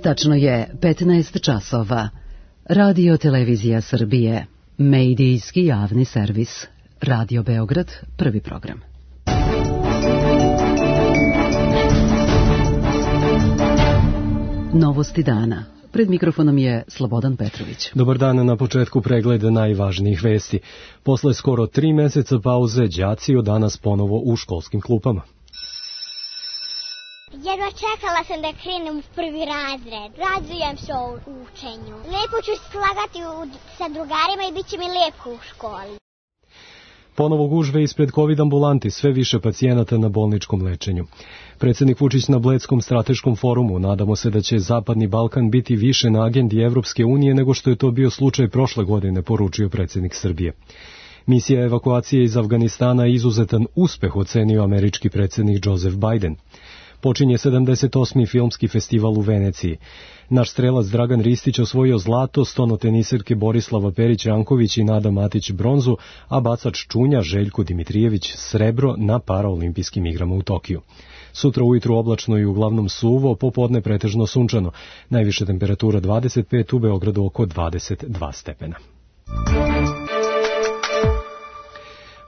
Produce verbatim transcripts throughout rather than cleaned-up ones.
Tačno je petnaest časova. Radio Televizija Srbije. Medijski javni servis. Radio Beograd, prvi program. Novosti dana. Pred mikrofonom je Slobodan Petrović. Dobar dan, na početku pregleda najvažnijih vesti. Posle skoro tri meseca pauze, đaci od danas ponovo u školskim klupama. Jedva čekala sam da krenem u prvi razred. Radujem se o učenju. Lepo ću slagati sa drugarima i bit će mi lepo u školi. Ponovo gužve ispred COVID ambulanti, sve više pacijenata na bolničkom lečenju. Predsednik Vučić na Bledskom strateškom forumu: nadamo se da će Zapadni Balkan biti više na agendi Evropske unije nego što je to bio slučaj prošle godine, poručio predsednik Srbije. Misija evakuacije iz Afganistana je izuzetan uspeh, ocenio američki predsednik Joseph Biden. Počinje sedamdeset osmi filmski festival u Veneciji. Naš strelac Dragan Ristić osvojio zlato, stonoteniserke Borislava Perić-Ranković i Nada Matić bronzu, a bacač čunja Željko Dimitrijević srebro na paraolimpijskim igrama u Tokiju. Sutra ujutru oblačno i uglavnom suvo, popodne pretežno sunčano. Najviša temperatura dvadeset pet, u Beogradu oko dvadeset dva stepena.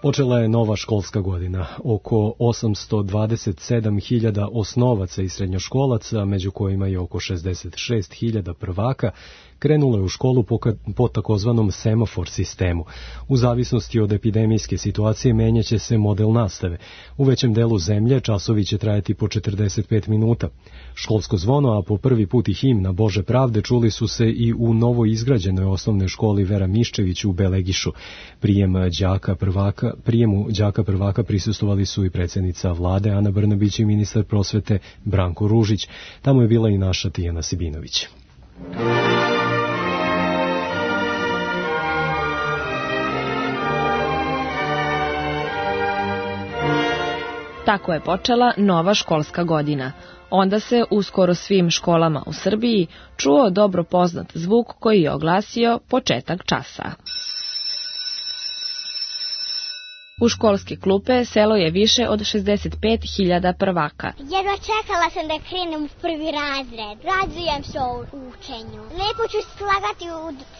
Počela je nova školska godina. Oko osamsto dvadeset sedam hiljada osnovaca i srednjoškolaca, među kojima je oko šezdeset šest hiljada prvaka, krenulo je u školu po, po takozvanom semafor sistemu. U zavisnosti od epidemijske situacije menjaće se model nastave. U većem delu zemlje časovi će trajati po četrdeset pet minuta. Školsko zvono, a po prvi put i himna Bože pravde čuli su se i u novo izgrađenoj osnovnoj školi Vera Miščević u Belegišu. Prijem đaka prvaka, prijemu đaka prvaka prisustvovali su i predsjednica vlade Ana Brnabić i ministar prosvete Branko Ružić. Tamo je bila i naša Tijana Sibinović. Tako je počela nova školska godina. Onda se u skoro svim školama u Srbiji čuo dobro poznat zvuk koji je oglasio početak časa. U školske klupe selo je više od šezdeset pet hiljada prvaka. Jedva čekala sam da krenem u prvi razred. Radujem se o učenju. Lepo ću slagati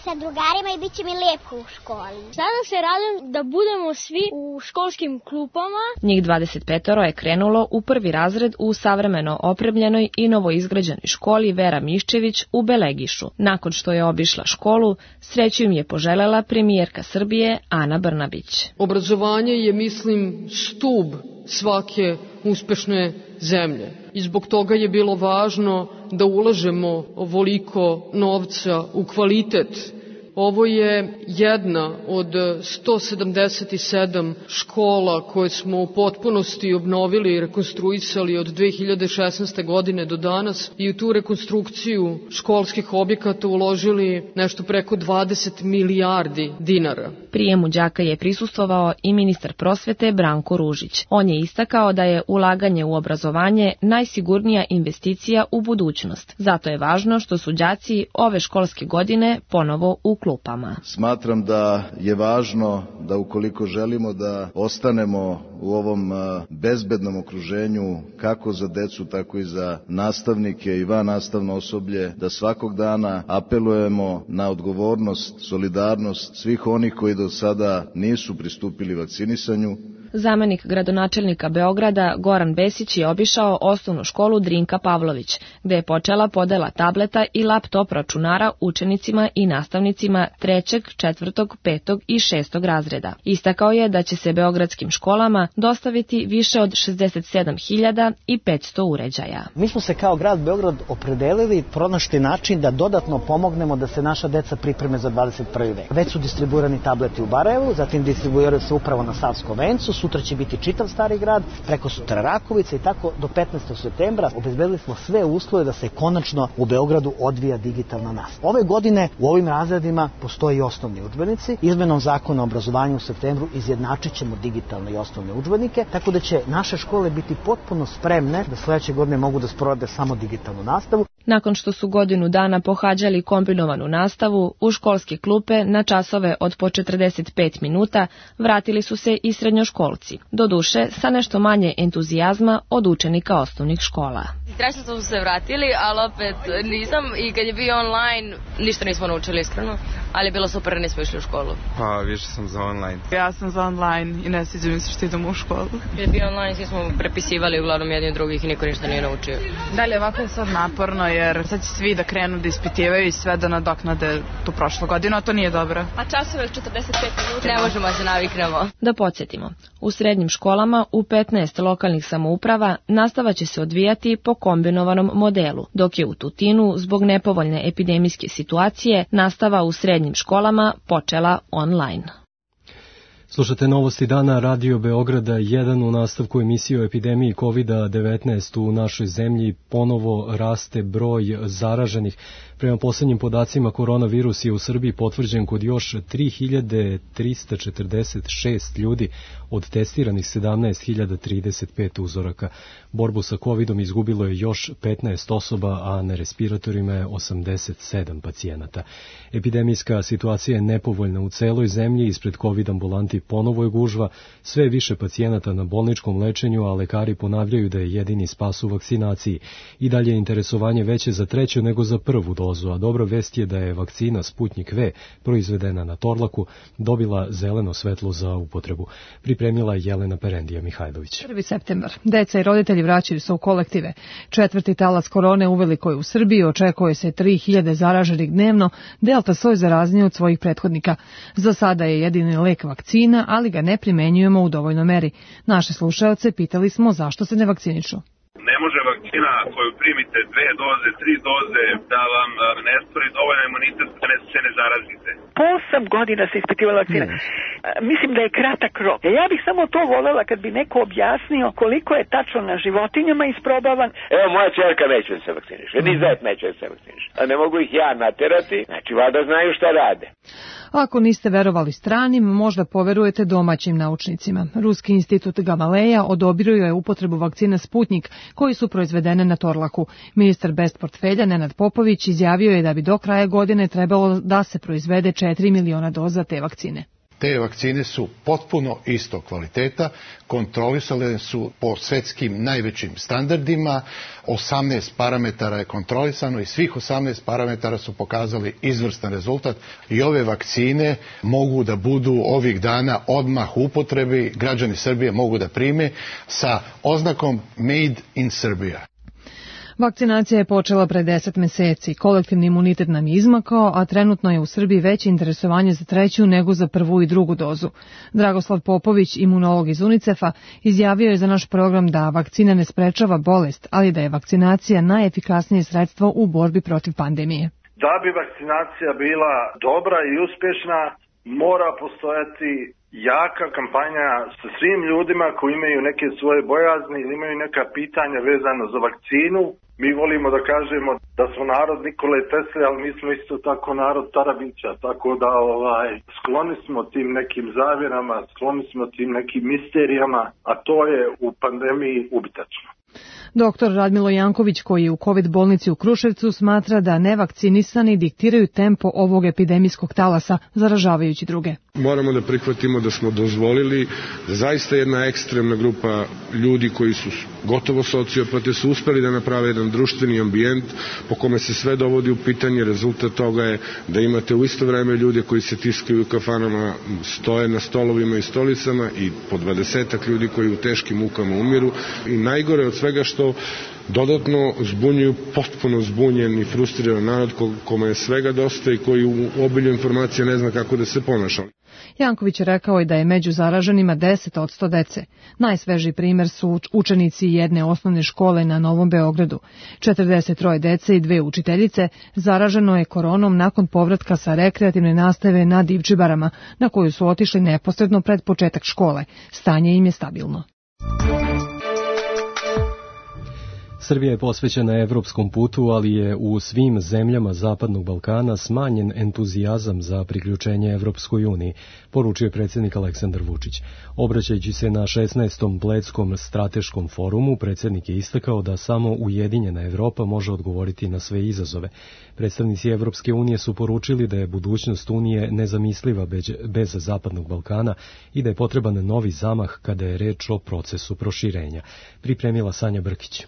sa drugarima i bit će mi lepo u školi. Sada se radujem da budemo svi u školskim klupama. Njih dvadeset pet je krenulo u prvi razred u savremeno opremljenoj i novoizgrađenoj školi Vera Miščević u Belegišu. Nakon što je obišla školu, sreću im je poželela premijerka Srbije Ana Brnabić. Obrazovanje je, mislim, stub svake uspešne zemlje. I zbog toga je bilo važno da ulažemo ovoliko novca u kvalitet. Ovo je jedna od sto sedamdeset sedam škola koje smo u potpunosti obnovili i rekonstruisali od dve hiljade šesnaeste. godine do danas i u tu rekonstrukciju školskih objekata uložili nešto preko dvadeset milijardi dinara. Prijemu đaka je prisustvovao i ministar prosvete Branko Ružić. On je istakao da je ulaganje u obrazovanje najsigurnija investicija u budućnost. Zato je važno što su đaci ove školske godine ponovo u klupama. Smatram da je važno da ukoliko želimo da ostanemo u ovom bezbednom okruženju kako za decu, tako i za nastavnike i vannastavno osoblje, da svakog dana apelujemo na odgovornost, solidarnost svih onih koji do sada nisu pristupili vakcinisanju. Zamenik gradonačelnika Beograda Goran Besić je obišao osnovnu školu Drinka Pavlović, gde je počela podela tableta i laptop računara učenicima i nastavnicima trećeg, četvrtog, petog i šestog razreda. Istakao je da će se beogradskim školama dostaviti više od šezdeset sedam hiljada petsto uređaja. Mi smo se kao grad Beograd opredelili, pronašli način da dodatno pomognemo da se naša deca pripreme za dvadeset prvi vek. Već su distribuirani tableti u Barajevu, zatim distribuiraju se upravo na Savskom vencu, sutra će biti čitav Stari grad, preko sutra Rakovica i tako do petnaestog septembra obezbedili smo sve uslove da se konačno u Beogradu odvija digitalna nastava. Ove godine u ovim razredima postoji i osnovni udžbenici. Izmenom zakona o obrazovanju u septembru izjednačit ćemo digitalne i osnovne udžbenike, tako da će naše škole biti potpuno spremne da sledeće godine mogu da sprovode samo digitalnu nastavu. Nakon što su godinu dana pohađali kombinovanu nastavu, u školske klupe na časove od po četrdeset pet minuta vratili su se i srednjoškolci, doduše sa nešto manje entuzijazma od učenika osnovnih škola. Strašno smo se vratili, ali opet nisam i kad je bio online ništa nismo naučili iskreno, ali je bilo super da nismo išli u školu. Pa više sam za online. Ja sam za online i ne sviđa mi se što idemo u školu. Kad je bio online svi smo prepisivali uglavnom jedni od drugih i niko ništa nije naučio. Dalje ovako je sad naporno jer sad će svi da krenu da ispitivaju i sve da nadoknade tu prošlu godinu, a to nije dobro. A časove četrdeset pet minuta? Ne možemo se naviknemo. Da podsjetimo, u srednjim školama u petnaest lokalnih samouprava nastava će se odvijati po kombinovanom modelu, dok je u Tutinu zbog nepovoljne epidemijske situacije nastava u srednjim školama počela online. Slušate novosti dana Radio Beograda jedan. U nastavku emisije o epidemiji kovid devetnaest u našoj zemlji ponovo raste broj zaraženih. Prema poslednjim podacima, koronavirus je u Srbiji potvrđen kod još tri hiljade trista četrdeset šest ljudi od testiranih sedamnaest hiljada trideset pet uzoraka. Borbu sa covidom izgubilo je još petnaest osoba, a na respiratorima je osamdeset sedam pacijenata. Epidemijska situacija je nepovoljna u celoj zemlji, ispred covid ambulanti ponovo je gužva, sve više pacijenata na bolničkom lečenju, a lekari ponavljaju da je jedini spas u vakcinaciji. I dalje je interesovanje veće za treću nego za prvu dozu, a dobra vest je da je vakcina Sputnik V, proizvedena na Torlaku, dobila zeleno svetlo za upotrebu. Pripremila Jelena Perendija Mihajlović. prvi septembar. Deca i roditelji vraćaju se u kolektive. Četvrti talas korone uveliko je u Srbiji, očekuje se tri hiljade zaraženih dnevno, delta soj zarazniji od svojih prethodnika. Za sada je jedini lek vakcina, ali ga ne primenjujemo u dovoljnoj meri. Naše slušaoce pitali smo zašto se ne vakcinišu. Ne može vakcina koju primite dve doze, tri doze, da vam ne stvori dovoljno imunitet da ne se ne zarazite. Po osam godina se ispitivala vakcina. Ne. Mislim da je kratak rok. Ja bih samo to volela kad bi neko objasnio koliko je tačno na životinjama isprobavan. Evo, moja čerka neće da se vakciniše, ni zet neće da se vakciniše. A ne mogu ih ja naterati, znači valjda znaju šta rade. Ako niste verovali stranim, možda poverujete domaćim naučnicima. Ruski institut Gamaleja odobrio je upotrebu vakcina Sputnik, koji su proizvedene na Torlaku. Ministar bez portfelja Nenad Popović izjavio je da bi do kraja godine trebalo da se proizvede četiri miliona doza te vakcine. Te vakcine su potpuno istog kvaliteta, kontrolisane su po svetskim najvećim standardima, osamnaest parametara je kontrolisano i svih osamnaest parametara su pokazali izvrstan rezultat i ove vakcine mogu da budu ovih dana odmah u upotrebi, građani Srbije mogu da prime sa oznakom Made in Serbia. Vakcinacija je počela pre deset meseci. Kolektivni imunitet nam je izmakao, a trenutno je u Srbiji veće interesovanje za treću nego za prvu i drugu dozu. Dragoslav Popović, imunolog iz UNICEF-a, izjavio je za naš program da vakcina ne sprečava bolest, ali da je vakcinacija najefikasnije sredstvo u borbi protiv pandemije. Da bi vakcinacija bila dobra i uspješna, mora postojati jaka kampanja sa svim ljudima koji imaju neke svoje bojazni ili imaju neka pitanja vezano za vakcinu. Mi volimo da kažemo da smo narod Nikole Tesle, ali mi smo isto tako narod Tarabića, tako da ovaj, skloni smo tim nekim zavjerama, skloni smo tim nekim misterijama, a to je u pandemiji ubitačno. Doktor Radmilo Janković, koji je u COVID bolnici u Kruševcu, smatra da nevakcinisani diktiraju tempo ovog epidemijskog talasa, zaražavajući druge. Moramo da prihvatimo da smo dozvolili da zaista jedna ekstremna grupa ljudi koji su gotovo sociopate su uspeli da naprave jedan društveni ambijent po kome se sve dovodi u pitanje. Rezultat toga je da imate u isto vreme ljude koji se tiskaju u kafanama, stoje na stolovima i stolicama i po dvadesetak ljudi koji u teškim mukama umiru. I najgore od svega što dodatno zbunjuju potpuno zbunjen i frustriran narod kome je svega dosta i koji u obilju informacija ne zna kako da se ponaša. Janković je rekao i da je među zaraženima deset od sto dece. Najsvežiji primer su učenici jedne osnovne škole na Novom Beogradu. četrdeset troje dece i dve učiteljice zaraženo je koronom nakon povratka sa rekreativne nastave na Divčibarama, na koju su otišli neposredno pred početak škole. Stanje im je stabilno. Srbija je posvećena evropskom putu, ali je u svim zemljama Zapadnog Balkana smanjen entuzijazam za priključenje Evropskoj uniji, poručio je predsjednik Aleksandar Vučić. Obraćajući se na šesnaestom Bledskom strateškom forumu, predsjednik je istakao da samo ujedinjena Evropa može odgovoriti na sve izazove. Predstavnici Evropske unije su poručili da je budućnost Unije nezamisliva bez Zapadnog Balkana i da je potreban novi zamah kada je reč o procesu proširenja. Pripremila Sanja Brkić.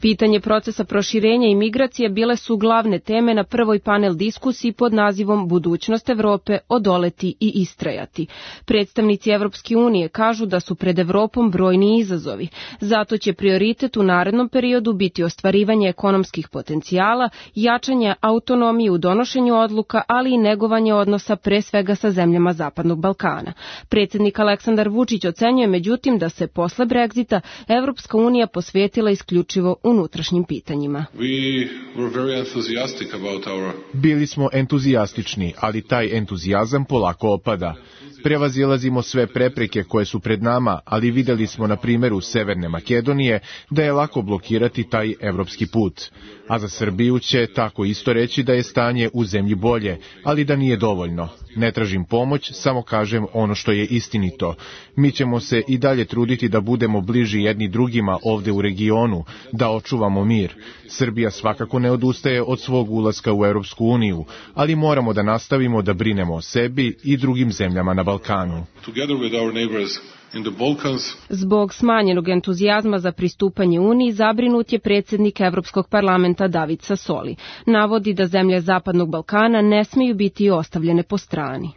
Pitanje procesa proširenja i migracije bile su glavne teme na prvoj panel diskusiji pod nazivom Budućnost Evrope, odoleti i istrajati. Predstavnici Evropske unije kažu da su pred Evropom brojni izazovi. Zato će prioritet u narednom periodu biti ostvarivanje ekonomskih potencijala, jačanje autonomije u donošenju odluka, ali i negovanje odnosa pre svega sa zemljama Zapadnog Balkana. Predsjednik Aleksandar Vučić ocenjuje međutim da se posle Brexita Evropska unija posvetila isključivo unutrašnjim pitanjima. Bili smo entuzijastični, ali taj entuzijazam polako opada. Prevazilazimo sve prepreke koje su pred nama, ali videli smo na primjeru Severne Makedonije da je lako blokirati taj evropski put. A za Srbiju će tako isto reći da je stanje u zemlji bolje, ali da nije dovoljno. Ne tražim pomoć, samo kažem ono što je istinito. Mi ćemo se i dalje truditi da budemo bliži jedni drugima ovde u regionu, da očuvamo mir. Srbija svakako ne odustaje od svog ulaska u Evropsku uniju, ali moramo da nastavimo da brinemo o sebi i drugim zemljama na Balkanu. Zbog smanjenog entuzijazma za pristupanje Uniji zabrinut je predsjednik Evropskog parlamenta David Sassoli. Navodi da zemlje Zapadnog Balkana ne smiju biti ostavljene po strani.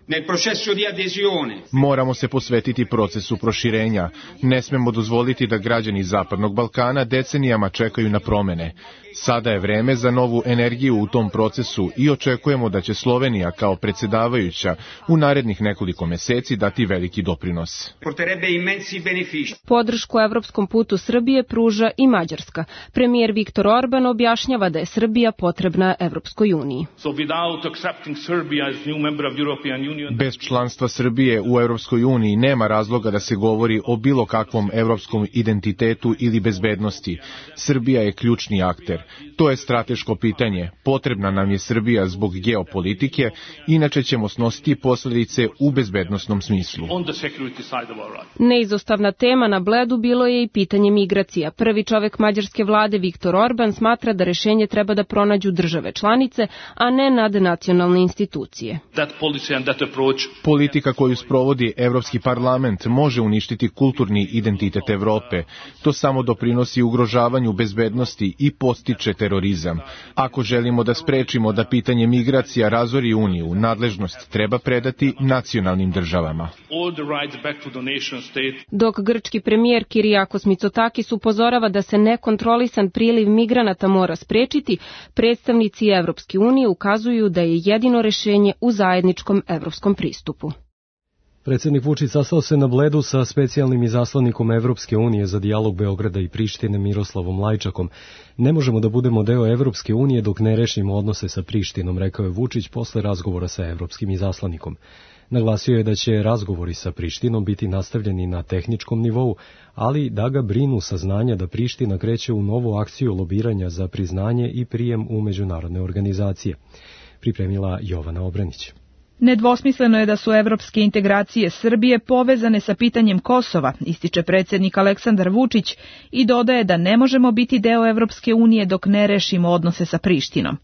Moramo se posvetiti procesu proširenja. Ne smemo dozvoliti da građani Zapadnog Balkana decenijama čekaju na promene. Sada je vreme za novu energiju u tom procesu i očekujemo da će Slovenija kao predsjedavajuća u narednih nekoliko meseci dati veliki doprinos. Podršku evropskom putu Srbije pruža i Mađarska. Premijer Viktor Orban objašnjava da je Srbija potrebna Evropskoj uniji. Bez članstva Srbije u Evropskoj uniji nema razloga da se govori o bilo kakvom evropskom identitetu ili bezbednosti. Srbija je ključni akter. To je strateško pitanje. Potrebna nam je Srbija zbog geopolitike, inače ćemo snositi posljedice u bezbednosnom smislu. Neizostavna tema na Bledu bilo je i pitanje migracija. Prvi čovek mađarske vlade Viktor Orban smatra da rešenje treba da pronađu države članice, a ne nadnacionalne institucije. Politika koju sprovodi Evropski parlament može uništiti kulturni identitet Evrope. To samo doprinosi ugrožavanju bezbednosti i postiče terorizam. Ako želimo da sprečimo da pitanje migracija razori Uniju, nadležnost treba predati nacionalnim državama. Dok grčki premijer Kyriakos Mitsotakis upozorava da se nekontrolisan priliv migranata mora sprečiti, predstavnici Evropske unije ukazuju da je jedino rešenje u zajedničkom evropskom pristupu. Predsjednik Vučić sastao se na Bledu sa specijalnim izaslanikom Evropske unije za dijalog Beograda i Prištine Miroslavom Lajčakom. Ne možemo da budemo deo Evropske unije dok ne rešimo odnose sa Prištinom, rekao je Vučić posle razgovora sa evropskim izaslanikom. Naglasio je da će razgovori sa Prištinom biti nastavljeni na tehničkom nivou, ali da ga brinu saznanja da Priština kreće u novu akciju lobiranja za priznanje i prijem u međunarodne organizacije. Pripremila Jovana Obranić. Nedvosmisleno je da su evropske integracije Srbije povezane sa pitanjem Kosova, ističe predsjednik Aleksandar Vučić i dodaje da ne možemo biti deo Evropske unije dok ne rešimo odnose sa Prištinom.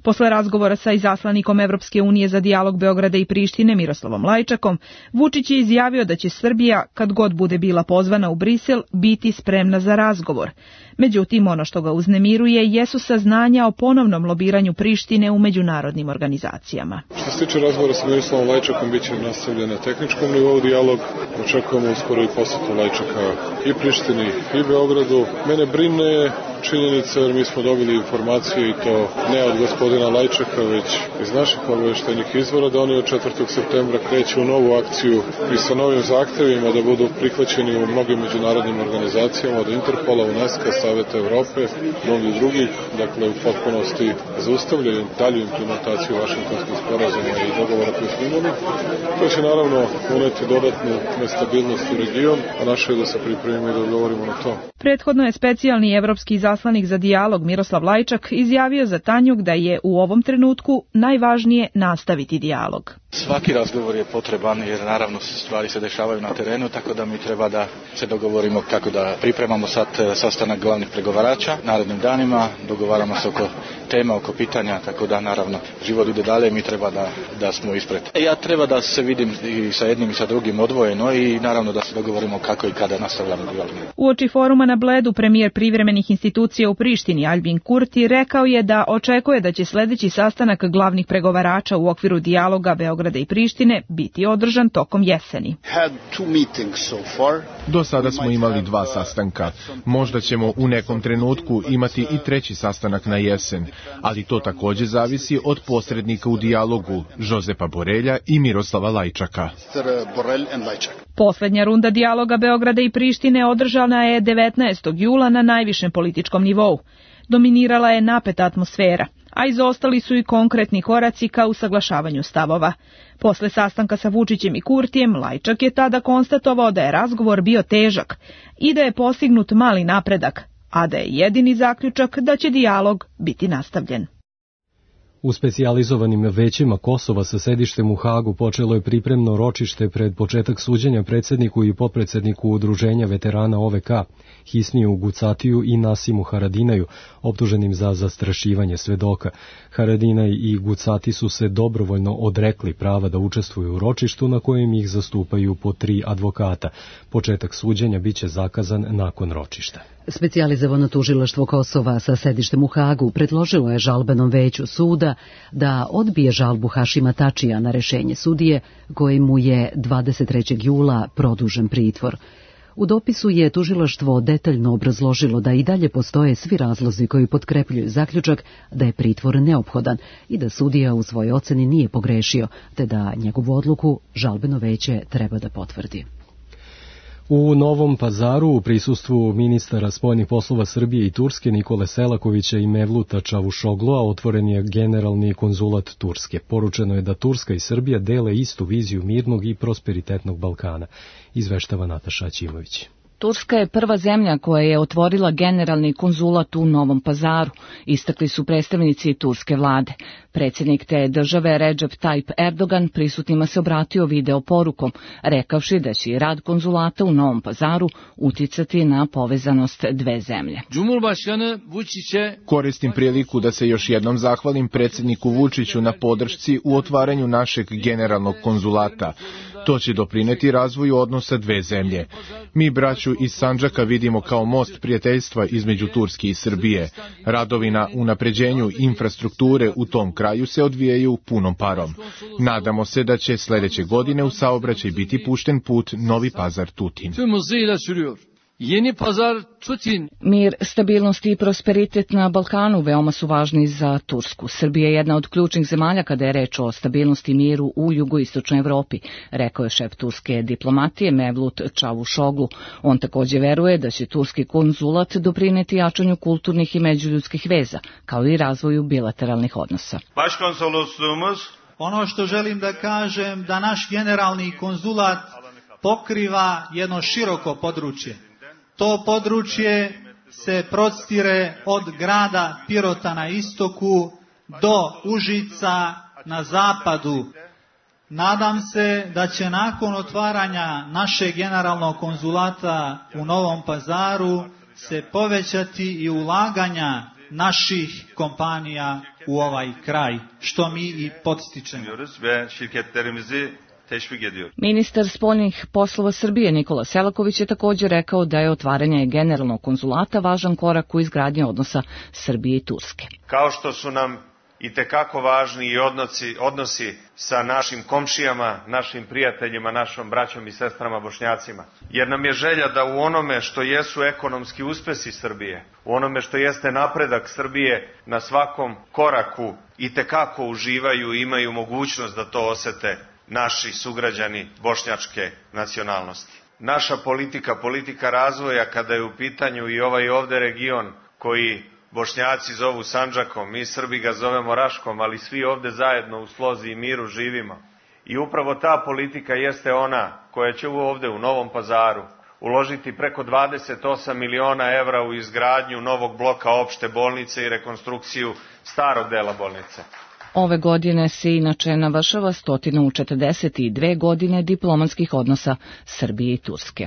Posle razgovora sa izaslanikom Evropske unije za dijalog Beograda i Prištine Miroslavom Lajčakom, Vučić je izjavio da će Srbija, kad god bude bila pozvana u Brisel, biti spremna za razgovor. Međutim, ono što ga uznemiruje jesu saznanja o ponovnom lobiranju Prištine u međunarodnim organizacijama. Što se tiče razgovora sa Miroslavom Lajčakom, bit će nastavljen na tehničkom nivou dijalog. Očekujemo uskoro i posjetu Lajčaka i Prištini i Beogradu. Mene brine činjenica jer mi smo dobili informacije i to ne od gospodina gospodina Lajčaka, već iz naših obaveštajnih izvora, da oni od četvrtog septembra kreću u novu akciju i sa novim zahtevima da budu prihvaćeni u mnogim međunarodnim organizacijama, od Interpola, UNESCO, Saveta Evrope, mnogih drugih, dakle u potpunosti zaustavljaju dalju implementaciju Vašingtonskih sporazuma i dogovora koji smo imali. To će naravno uneti dodatnu nestabilnost u region, a naše je da se pripremimo i da odgovorimo na to. Prethodno je specijalni evropski izaslanik za dijalog Miroslav Lajčak izjavio za Tanjug da je u ovom trenutku najvažnije nastaviti dijalog. Svaki razgovor je potreban jer naravno stvari se dešavaju na terenu, tako da mi treba da se dogovorimo kako da pripremamo sad sastanak glavnih pregovarača narednim danima, dogovaramo se oko tema, oko pitanja, tako da naravno život ide dalje i mi treba da, da smo ispred. E, ja treba da se vidim i sa jednim i sa drugim odvojeno i naravno da se dogovorimo kako i kada nastavljamo dijalog. Uoči foruma na Bledu premijer privremenih institucija u Prištini Aljbin Kurti rekao je da očekuje da će sledeći sastanak glavnih pregovarača u okviru dijaloga Beograda i Prištine biti održan tokom jeseni. Do sada smo imali dva sastanka. Možda ćemo u nekom trenutku imati i treći sastanak na jesen, ali to takođe zavisi od posrednika u dijalogu, Žozepa Borelja i Miroslava Lajčaka. Poslednja runda dijaloga Beograda i Prištine održana je devetnaestog jula na najvišem političkom nivou. Dominirala je napeta atmosfera, a izostali su i konkretni koraci ka usaglašavanju stavova. Posle sastanka sa Vučićem i Kurtijem, Lajčak je tada konstatovao da je razgovor bio težak i da je postignut mali napredak, a da je jedini zaključak da će dijalog biti nastavljen. U specijalizovanim većima Kosova sa sedištem u Hagu počelo je pripremno ročište pred početak suđenja predsjedniku i potpredsjedniku Udruženja veterana O V K, Hisniju Gucatiju i Nasimu Haradinaju, optuženim za zastrašivanje svedoka. Haradinaj i Gucati su se dobrovoljno odrekli prava da učestvuju u ročištu na kojem ih zastupaju po tri advokata. Početak suđenja biće zakazan nakon ročišta. Specijalizovano tužilaštvo Kosova sa sedištem u Hagu predložilo je žalbenom veću suda da odbije žalbu Hašima Tačija na rešenje sudije, koji mu je dvadeset trećeg jula produžen pritvor. U dopisu je tužilaštvo detaljno obrazložilo da i dalje postoje svi razlozi koji potkrepljuju zaključak da je pritvor neophodan i da sudija u svojoj oceni nije pogrešio, te da njegovu odluku žalbeno veće treba da potvrdi. U Novom Pazaru u prisustvu ministara spoljnih poslova Srbije i Turske Nikole Selakovića i Mevluta Čavušogloa otvoren je generalni konzulat Turske. Poručeno je da Turska i Srbija dele istu viziju mirnog i prosperitetnog Balkana, izveštava Nataša Aćimović. Turska je prva zemlja koja je otvorila generalni konzulat u Novom Pazaru, istakli su predstavnici turske vlade. Predsjednik te države Recep Tayyip Erdogan prisutnima se obratio video porukom, rekavši da će i rad konzulata u Novom Pazaru uticati na povezanost dve zemlje. Koristim priliku da se još jednom zahvalim predsjedniku Vučiću na podršci u otvaranju našeg generalnog konzulata. To će doprineti razvoju odnosa dve zemlje. Mi braću iz Sandžaka vidimo kao most prijateljstva između Turske i Srbije. Radovi na unapređenju infrastrukture u tom kraju se odvijaju punom parom. Nadamo se da će sledeće godine u saobraćaj biti pušten put Novi Pazar-Tutin. Yeni Pazar Tutin. Mir, stabilnost i prosperitet na Balkanu veoma su važni za Tursku. Srbija je jedna od ključnih zemalja kada je reč o stabilnosti i miru u jugoistočnoj Evropi, rekao je šef turske diplomatije Mevlut Čavušoglu. On takođe veruje da će turski konzulat doprineti jačanju kulturnih i međuljudskih veza, kao i razvoju bilateralnih odnosa. Başkonsolosluğumuz, ono što želim da kažem, da naš generalni konzulat pokriva jedno široko područje. To područje se prostire od grada Pirota na istoku do Užica na zapadu. Nadam se da će nakon otvaranja našeg generalnog konzulata u Novom Pazaru se povećati i ulaganja naših kompanija u ovaj kraj, što mi i podstičemo. Ministar spoljnih poslova Srbije Nikola Selaković je također rekao da je otvaranje generalnog konzulata važan korak u izgradnji odnosa Srbije i Turske. Kao što su nam i tekako važni i odnosi, odnosi sa našim komšijama, našim prijateljima, našom braćom i sestrama Bošnjacima. Jer nam je želja da u onome što jesu ekonomski uspesi Srbije, u onome što jeste napredak Srbije na svakom koraku i tekako uživaju i imaju mogućnost da to osete naši sugrađani bošnjačke nacionalnosti. Naša politika, politika razvoja kada je u pitanju i ovaj ovde region koji Bošnjaci zovu Sandžakom, mi Srbi ga zovemo Raškom, ali svi ovde zajedno u slozi i miru živimo. I upravo ta politika jeste ona koja će ovde u Novom Pazaru uložiti preko dvadeset osam miliona evra u izgradnju novog bloka opšte bolnice i rekonstrukciju starog dela bolnice. Ove godine se inače navršava sto četrdeset dve godine diplomatskih odnosa Srbije i Turske.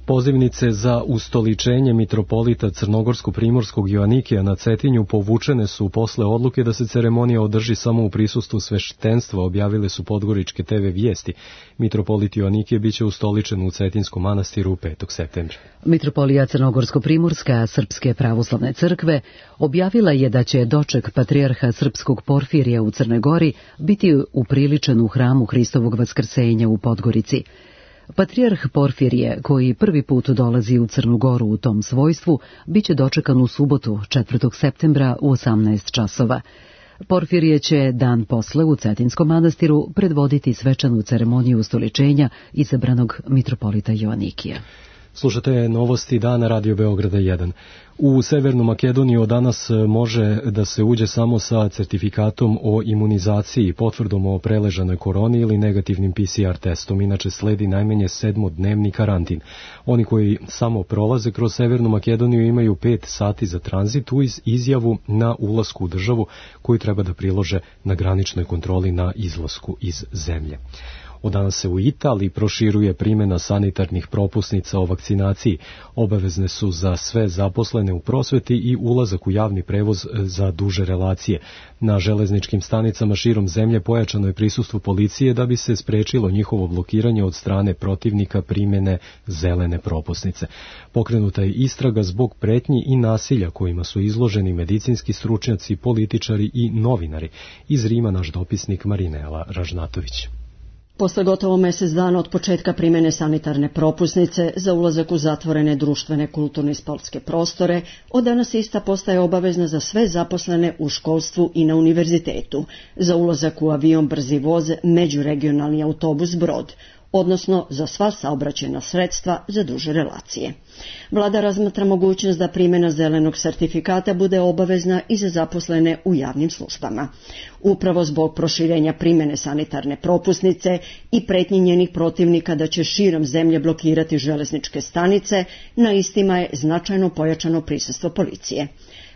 Pozivnice za ustoličenje mitropolita Crnogorsko-Primorskog Joanikija na Cetinju povučene su posle odluke da se ceremonija održi samo u prisustvu sveštenstva, objavile su podgoričke te ve vijesti. Mitropolit Joanikije biće ustoličen u Cetinskom manastiru petog septembra. Mitropolija Crnogorsko-Primorska Srpske pravoslavne crkve objavila je da će doček patrijarha srpskog Porfirija u Crnoj Gori biti upriličen u hramu Hristovog vaskrsenja u Podgorici. Patrijarh Porfirije, koji prvi put dolazi u Crnu Goru u tom svojstvu, biće dočekan u subotu, četvrtog septembra u osamnaest časova. Porfirije će dan posle u Cetinskom manastiru predvoditi svečanu ceremoniju ustoličenja izabranog mitropolita Joanikija. Slušate novosti dana Radio Beograda jedan. U Severnu Makedoniju od danas može da se uđe samo sa certifikatom o imunizaciji i potvrdom o preležanoj koroni ili negativnim pe ce er testom, inače sledi najmanje sedmodnevni karantin. Oni koji samo prolaze kroz Severnu Makedoniju imaju pet sati za tranzit uz izjavu na ulasku u državu koju treba da prilože na graničnoj kontroli na izlasku iz zemlje. Od danas se u Italiji proširuje primjena sanitarnih propusnica o vakcinaciji. Obavezne su za sve zaposlene u prosveti i ulazak u javni prevoz za duže relacije. Na železničkim stanicama širom zemlje pojačano je prisustvo policije da bi se sprečilo njihovo blokiranje od strane protivnika primjene zelene propusnice. Pokrenuta je istraga zbog pretnji i nasilja kojima su izloženi medicinski stručnjaci, političari i novinari. Iz Rima naš dopisnik Marinela Ražnatović. Posle gotovo mesec dana od početka primjene sanitarne propusnice za ulazak u zatvorene društvene, kulturne i sportske prostore, od danas ista postaje obavezna za sve zaposlene u školstvu i na univerzitetu, za ulazak u avion, brzi voz, međuregionalni autobus, brod, odnosno za sva saobraćajna sredstva za duže relacije. Vlada razmatra mogućnost da primjena zelenog sertifikata bude obavezna i za zaposlene u javnim službama. Upravo zbog proširenja primjene sanitarne propusnice i pretnji njenih protivnika da će širom zemlje blokirati železničke stanice, na istima je značajno pojačano prisustvo policije.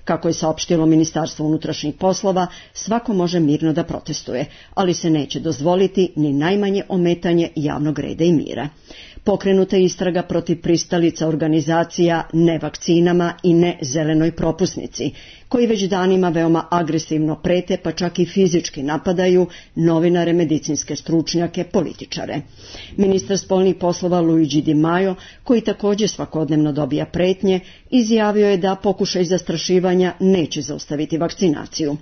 Kako je saopštilo Ministarstvo unutrašnjih poslova, svako može mirno da protestuje, ali se neće dozvoliti ni najmanje ometanje javnog reda i mira. Pokrenuta je istraga protiv pristalica organizacija ne vakcinama i ne zelenoj propusnici, koji već danima veoma agresivno prete, pa čak i fizički napadaju novinare, medicinske stručnjake, političare. Ministar spoljnih poslova Luigi Di Maio, koji također svakodnevno dobija pretnje, izjavio je da pokušaj zastrašivanja neće zaustaviti vakcinaciju.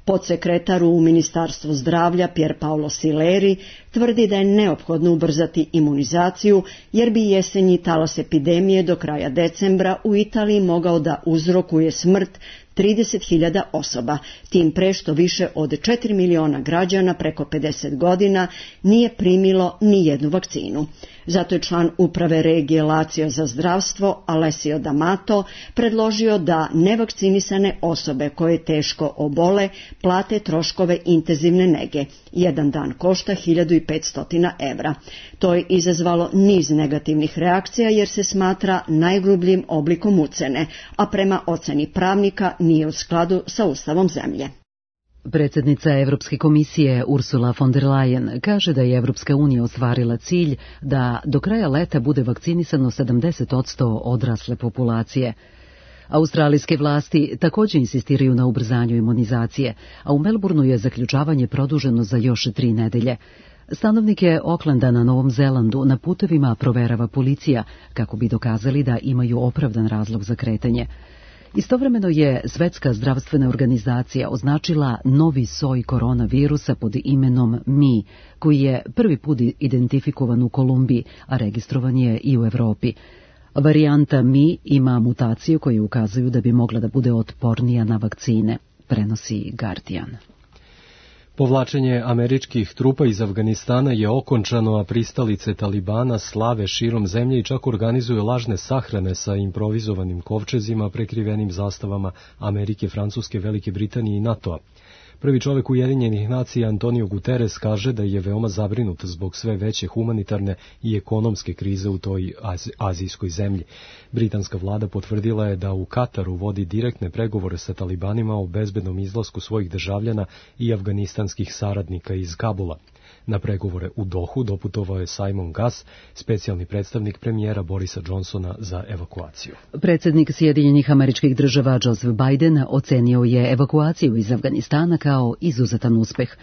Podsekretar u Ministarstvu zdravlja Pier Paolo Sileri tvrdi da je neophodno ubrzati imunizaciju jer bi jesenji talas epidemije do kraja decembra u Italiji mogao da uzrokuje smrt trideset hiljada osoba, tim pre što više od četiri miliona građana preko pedeset godina nije primilo ni jednu vakcinu. Zato je član uprave regije Lazio za zdravstvo Alessio D'Amato predložio da nevakcinisane osobe koje teško obole plate troškove intenzivne nege. Jedan dan košta hiljadu petsto evra. To je izazvalo niz negativnih reakcija jer se smatra najgrubljim oblikom ucene, a prema oceni pravnika nije u skladu sa ustavom zemlje. Predsjednica Evropske komisije Ursula von der Leyen kaže da je Evropska unija ostvarila cilj da do kraja leta bude vakcinisano sedamdeset posto odrasle populacije. Australijske vlasti također insistiraju na ubrzanju imunizacije, a u Melbourneu je zaključavanje produženo za još tri nedelje. Stanovnike Aucklanda na Novom Zelandu na putevima proverava policija kako bi dokazali da imaju opravdan razlog za kretanje. Istovremeno je Svetska zdravstvena organizacija označila novi soj koronavirusa pod imenom Mi, koji je prvi put identifikovan u Kolumbiji, a registrovan je i u Evropi. Varijanta Mi ima mutacije koje ukazuju da bi mogla da bude otpornija na vakcine, prenosi Guardian. Povlačenje američkih trupa iz Afganistana je okončano, a pristalice Talibana slave širom zemlje i čak organizuju lažne sahrane sa improvizovanim kovčezima prekrivenim zastavama Amerike, Francuske, Velike Britanije i NATO-a. Prvi čovek Ujedinjenih nacija Antonio Guterres kaže da je veoma zabrinut zbog sve veće humanitarne i ekonomske krize u toj azijskoj zemlji. Britanska vlada potvrdila je da u Kataru vodi direktne pregovore sa talibanima o bezbednom izlasku svojih državljana i afganistanskih saradnika iz Kabula. Na pregovore u Dohu doputovao je Simon Gass, specijalni predstavnik premijera Borisa Johnsona za evakuaciju. Predsjednik Sjedinjenih Američkih Država Joseph Biden ocenio je evakuaciju iz Afganistana kao izuzetan uspeh.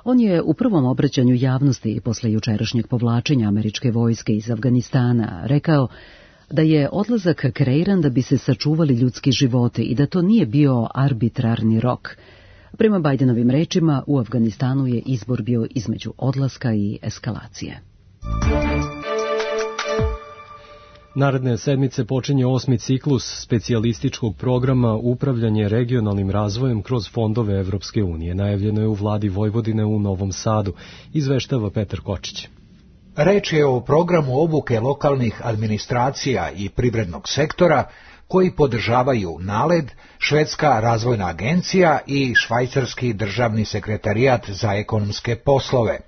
On je u prvom obraćanju javnosti posle jučerašnjeg povlačenja američke vojske iz Afganistana rekao da je odlazak kreiran da bi se sačuvali ljudski životi i da to nije bio arbitrarni rok. Prema Bidenovim rečima, u Afganistanu je izbor bio između odlaska i eskalacije. Naredne sedmice počinje osmi ciklus specijalističkog programa Upravljanje regionalnim razvojem kroz fondove Evropske unije. Najavljeno je u vladi Vojvodine u Novom Sadu, izveštava Petar Kočić. Reč je o programu obuke lokalnih administracija i privrednog sektora koji podržavaju NALED, Švedska razvojna agencija i Švajcarski državni sekretarijat za ekonomske poslove.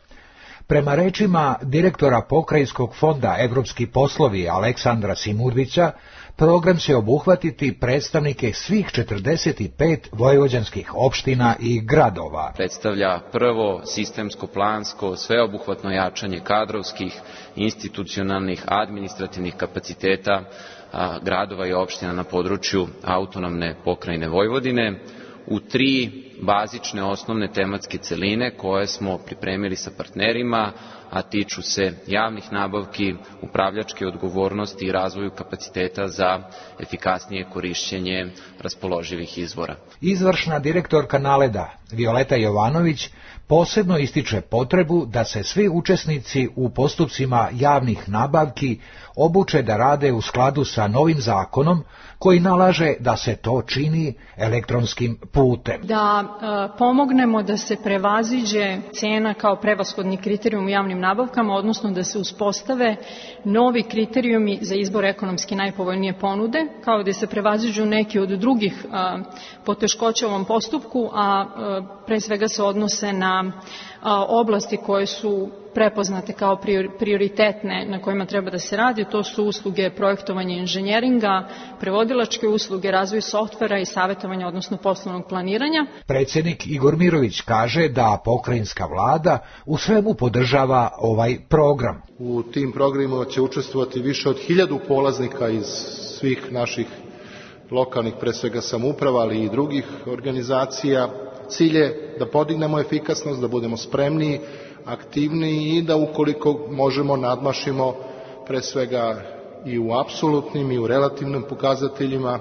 Prema rečima direktora Pokrajinskog fonda Evropski poslovi Aleksandra Simurvića, program će obuhvatiti predstavnike svih četrdeset pet vojvođanskih opština i gradova. Predstavlja prvo sistemsko, plansko, sveobuhvatno jačanje kadrovskih, institucionalnih, administrativnih kapaciteta gradova i opština na području autonomne pokrajine Vojvodine u tri bazične osnovne tematske celine koje smo pripremili sa partnerima, a tiču se javnih nabavki, upravljačke odgovornosti i razvoju kapaciteta za efikasnije korišćenje raspoloživih izvora. Izvršna direktorka NALED-a, Violeta Jovanović, posebno ističe potrebu da se svi učesnici u postupcima javnih nabavki obuče da rade u skladu sa novim zakonom koji nalaže da se to čini elektronskim putem. Da e, pomognemo da se prevaziđe cena kao prevashodni kriterijum u javnim nabavkama, odnosno da se uspostave novi kriterijumi za izbor ekonomski najpovoljnije ponude, kao da se prevaziđu neki od drugih a, poteškoća u ovom postupku, a, a pre svega se odnose na a, oblasti koje su prepoznate kao prioritetne na kojima treba da se radi. To su usluge projektovanja inženjeringa, prevodilačke usluge, razvoj softvera i savjetovanja, odnosno poslovnog planiranja. Predsjednik Igor Mirović kaže da pokrajinska vlada u svemu podržava ovaj program. U tim programima će učestvovati više od hiljadu polaznika iz svih naših lokalnih, pre svega samouprava, ali i drugih organizacija. Cilj je da podignemo efikasnost, da budemo spremniji, aktivniji i da ukoliko možemo nadmašimo pre svega i u apsolutnim i u relativnim pokazateljima,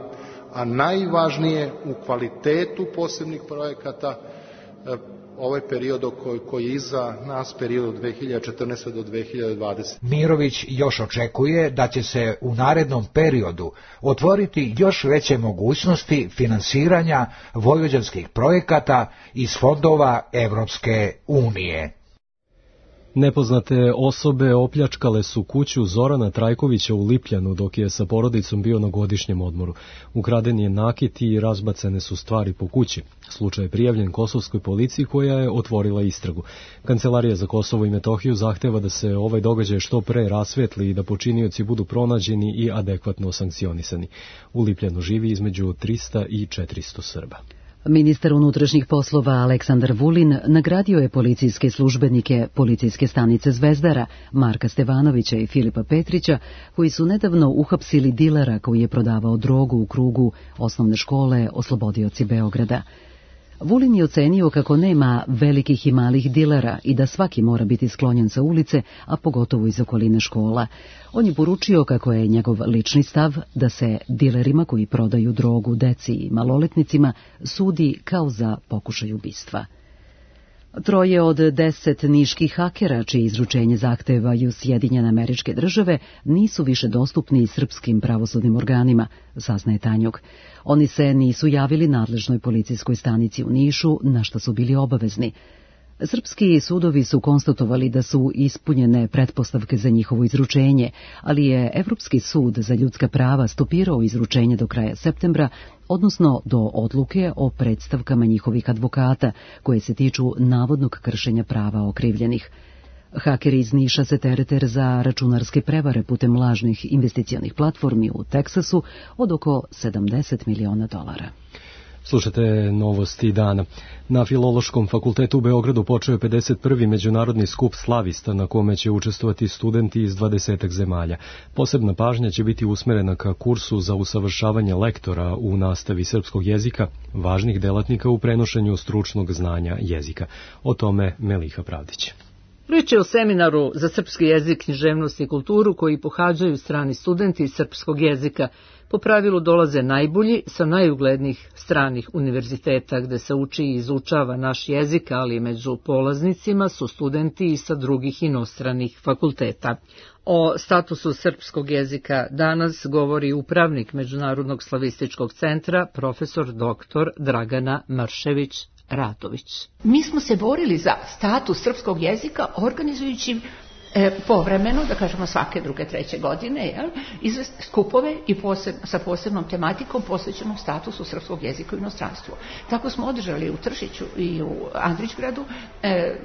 a najvažnije u kvalitetu posebnih projekata ovaj period koji je iza nas, period od dve hiljade četrnaeste do dve hiljade dvadesete. Mirović još očekuje da će se u narednom periodu otvoriti još veće mogućnosti finansiranja vojvođanskih projekata iz fondova Evropske unije. Nepoznate osobe opljačkale su kuću Zorana Trajkovića u Lipljanu dok je sa porodicom bio na godišnjem odmoru. Ukraden je nakit i razbacene su stvari po kući. Slučaj je prijavljen kosovskoj policiji koja je otvorila istragu. Kancelarija za Kosovo i Metohiju zahteva da se ovaj događaj što pre rasvetli i da počinioci budu pronađeni i adekvatno sankcionisani. U Lipljanu živi između trista i četiristo Srba. Ministar unutrašnjih poslova Aleksandar Vulin nagradio je policijske službenike policijske stanice Zvezdara, Marka Stevanovića i Filipa Petrića, koji su nedavno uhapsili dilera koji je prodavao drogu u krugu osnovne škole Oslobodioci Beograda. Vulin je ocenio kako nema velikih i malih dilera i da svaki mora biti sklonjen sa ulice, a pogotovo iz okoline škola. On je poručio kako je njegov lični stav da se dilerima koji prodaju drogu deci i maloletnicima sudi kao za pokušaj ubistva. Troje od deset niških hakera, čije izručenje zahtevaju Sjedinjene Američke Države, nisu više dostupni srpskim pravosudnim organima, saznaje Tanjug. Oni se nisu javili nadležnoj policijskoj stanici u Nišu, na što su bili obavezni. Srpski sudovi su konstatovali da su ispunjene pretpostavke za njihovo izručenje, ali je Evropski sud za ljudska prava stopirao izručenje do kraja septembra, odnosno do odluke o predstavkama njihovih advokata, koje se tiču navodnog kršenja prava okrivljenih. Hakeri iz Niša se terete za računarske prevare putem lažnih investicionih platformi u Teksasu od oko sedamdeset miliona dolara. Slušate novosti dana. Na Filološkom fakultetu u Beogradu počeo je pedeset prvi međunarodni skup slavista na kome će učestvovati studenti iz dvadesetak zemalja. Posebna pažnja će biti usmerena ka kursu za usavršavanje lektora u nastavi srpskog jezika, važnih delatnika u prenošenju stručnog znanja jezika. O tome Meliha Pravdić. Riječ je o seminaru za srpski jezik, književnost i kulturu koji pohađaju strani studenti srpskog jezika. Po pravilu dolaze najbolji sa najuglednijih stranih univerziteta gde se uči i izučava naš jezik, ali među polaznicima su studenti i sa drugih inostranih fakulteta. O statusu srpskog jezika danas govori upravnik Međunarodnog slavističkog centra, profesor doktor Dragana Mršević Ratović. Mi smo se borili za status srpskog jezika organizujući e, povremeno, da kažemo svake druge, treće godine, jel, izvest skupove i poseb, sa posebnom tematikom posvećenom statusu srpskog jezika u inostranstvu. Tako smo održali u Tršiću i u Andrićgradu e,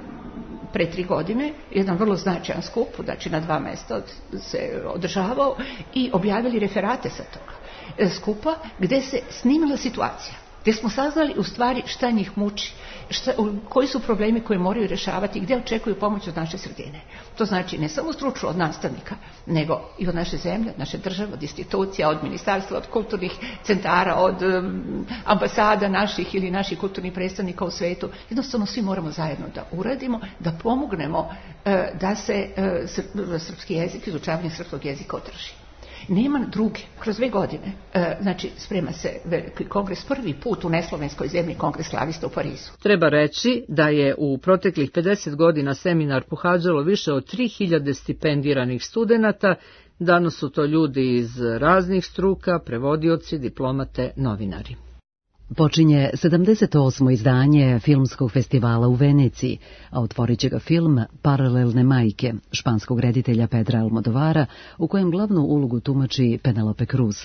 pre tri godine jedan vrlo značajan skup, znači na dva mesta se održavao i objavili referate sa toga e, skupa gde se snimila situacija, gdje smo saznali u stvari šta njih muči, šta, koji su problemi koje moraju rješavati i gdje očekuju pomoć od naše sredine. To znači ne samo stručno od nastavnika, nego i od naše zemlje, od naše države, od institucija, od ministarstva, od kulturnih centara, od um, ambasada naših ili naših kulturnih predstavnika u svetu. Jednostavno svi moramo zajedno da uradimo, da pomognemo uh, da se uh, srpski jezik, izučavanje srpskog jezika održi. Nema druge. Kroz dve godine, e, znači sprema se veliki kongres, prvi put u neslovenskoj zemlji kongres slavista u Parizu. Treba reći da je u proteklih pedeset godina seminar pohađalo više od tri hiljade stipendiranih studenata. Danas su to ljudi iz raznih struka, prevodioci, diplomate, novinari. Počinje sedamdeset osmo izdanje filmskog festivala u Veneciji, a otvorit će ga film Paralelne majke, španskog reditelja Pedra Almodovara, u kojem glavnu ulogu tumači Penelope Cruz.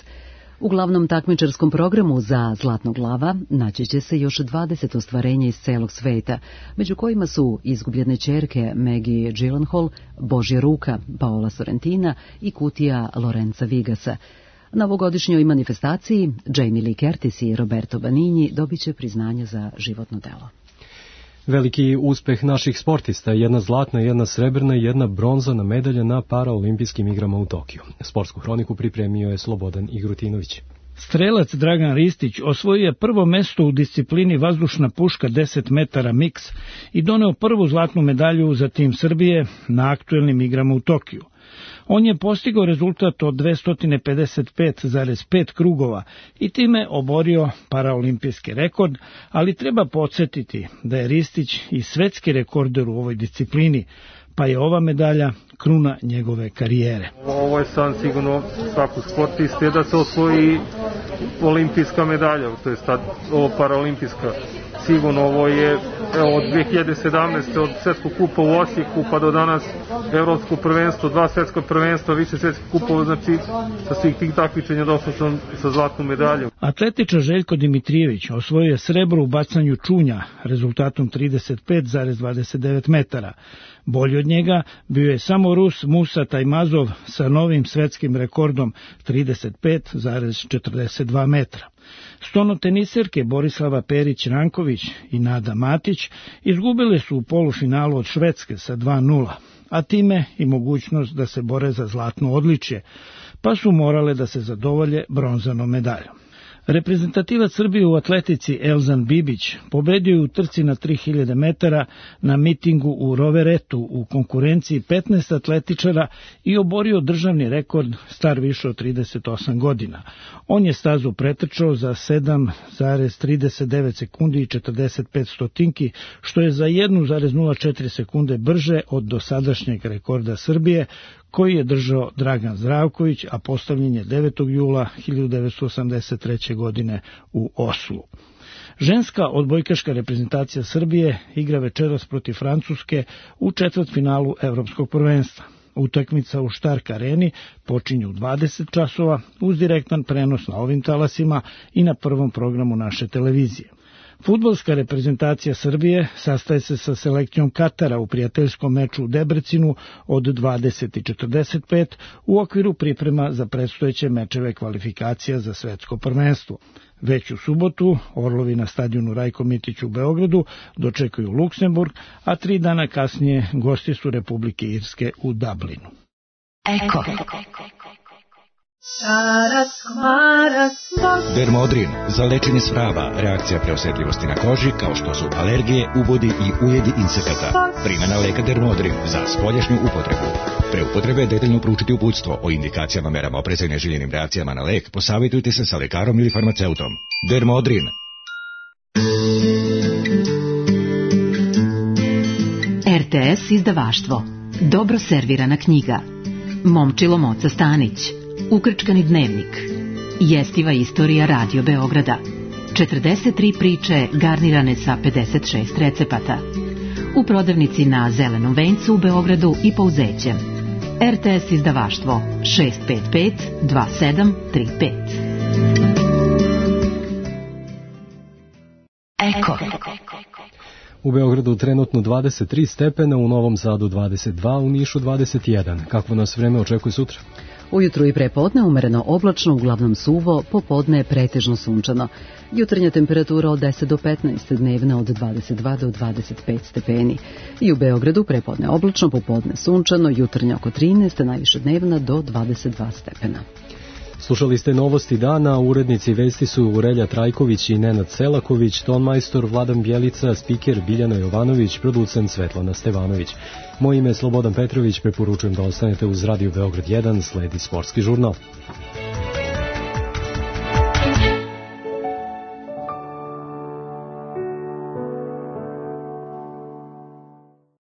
U glavnom takmičarskom programu za Zlatnog lava naći će se još dvadeset ostvarenja iz celog sveta, među kojima su Izgubljene ćerke Maggie Gyllenhaal, Božja ruka Paola Sorrentina i Kutija Lorenza Vigasa. Na ovogodišnjoj manifestaciji Jamie Lee Curtis i Roberto Benigni dobit će priznanje za životno delo. Veliki uspeh naših sportista, jedna zlatna, jedna srebrna i jedna bronzana medalja na paraolimpijskim igrama u Tokiju. Sportsku hroniku pripremio je Slobodan Igrutinović. Strelac Dragan Ristić osvojio je prvo mesto u disciplini vazdušna puška deset metara miks i doneo prvu zlatnu medalju za tim Srbije na aktuelnim igrama u Tokiju. On je postigao rezultat od dvesta pedeset pet zarez pet krugova i time oborio paraolimpijski rekord, ali treba podsjetiti da je Ristić i svetski rekorder u ovoj disciplini, pa je ova medalja kruna njegove karijere. Ovo je sam sigurno svakog sportiste da se osvoji olimpijska medalja, to je sad ovo paraolimpijska. Sigurno ovo je evo, od dve hiljade sedamnaeste. od svetskog kupa u Osijeku pa do danas evropsko prvenstvo, dva svetska prvenstva, više svetskih kupova, znači sa svih tih takmičenja došao sam sa zlatnom medaljom. Atletičar Željko Dimitrijević osvojio je srebro u bacanju čunja rezultatom trideset pet zarez dvadeset devet metara. Bolji od njega bio je samo Rus Musa Tajmazov sa novim svetskim rekordom trideset pet zarez četrdeset dva metra. Stonoteniserke Borislava Perić-Ranković i Nada Matić izgubile su u polufinalu od Švedske sa dva nula, a time i mogućnost da se bore za zlatno odličje, pa su morale da se zadovolje bronzanom medaljom. Reprezentativac Srbije u atletici Elzan Bibić pobedio je u trci na tri hiljade metara na mitingu u Roveretu u konkurenciji petnaest atletičara i oborio državni rekord star više od trideset osam godina. On je stazu pretrčao za sedam zarez trideset devet sekundi i četrdeset pet stotinki, što je za jedan zarez nula četiri sekunde brže od dosadašnjeg rekorda Srbije, koji je držao Dragan Zdravković, a postavljen je devetog jula hiljadu devetsto osamdeset treće. godine u Oslu. Ženska odbojkaška reprezentacija Srbije igra večeras protiv Francuske u četvrtfinalu Evropskog prvenstva. Utakmica u Štark areni počinje u dvadeset časova uz direktan prenos na ovim talasima i na prvom programu naše televizije. Fudbalska reprezentacija Srbije sastaje se sa selekcijom Katara u prijateljskom meču u Debrecinu od dvadeset četrdeset pet u okviru priprema za predstojeće mečeve kvalifikacija za svetsko prvenstvo. Već u subotu Orlovi na stadionu Rajko Mitić u Beogradu dočekaju Luksemburg, a tri dana kasnije gosti su Republike Irske u Dublinu. Eko. Dermodrin za lečenje sprava, reakcija preosetljivosti na koži kao što su alergije, ubodi i ujedi insekata. Primjena leka Dermodrin za spoljašnju upotrebu. Pre upotrebe detaljno proučiti uputstvo o indikacijama, merama opreza i neželjenim reakcijama na lek. Posavjetujte se sa lekarom ili farmaceutom. Dermodrin. R T S izdavaštvo. Dobro servirana knjiga. Momčilo Moca Stanić. Ukrčkani dnevnik. Jestiva istorija Radio Beograda. četrdeset tri priče garnirane sa pedeset šest recepata. U prodavnici na Zelenom vencu u Beogradu i Pouzećem. R T S izdavaštvo šest pet pet dva sedam tri pet. Eko. U Beogradu trenutno dvadeset tri stepena, u Novom Sadu dvadeset dva, u Nišu dvadeset jedan. Kakvo nas vreme očekuje sutra? Ujutru i prepodne umereno oblačno, uglavnom suvo, popodne pretežno sunčano. Jutarnja temperatura od deset do petnaest, dnevna od dvadeset dva do dvadeset pet stepeni. I u Beogradu prepodne oblačno, popodne sunčano, jutarnja oko trinaest, najviše dnevna do dvadeset dva stepena. Slušali ste novosti dana, urednici vesti su Urelja Trajković i Nenad Selaković, tonmajstor Vladan Bjelica, spiker Biljana Jovanović, producent Svetlana Stevanović. Moje ime je Slobodan Petrović, preporučujem da ostanete uz Radio Beograd jedan, sledi sportski žurnal.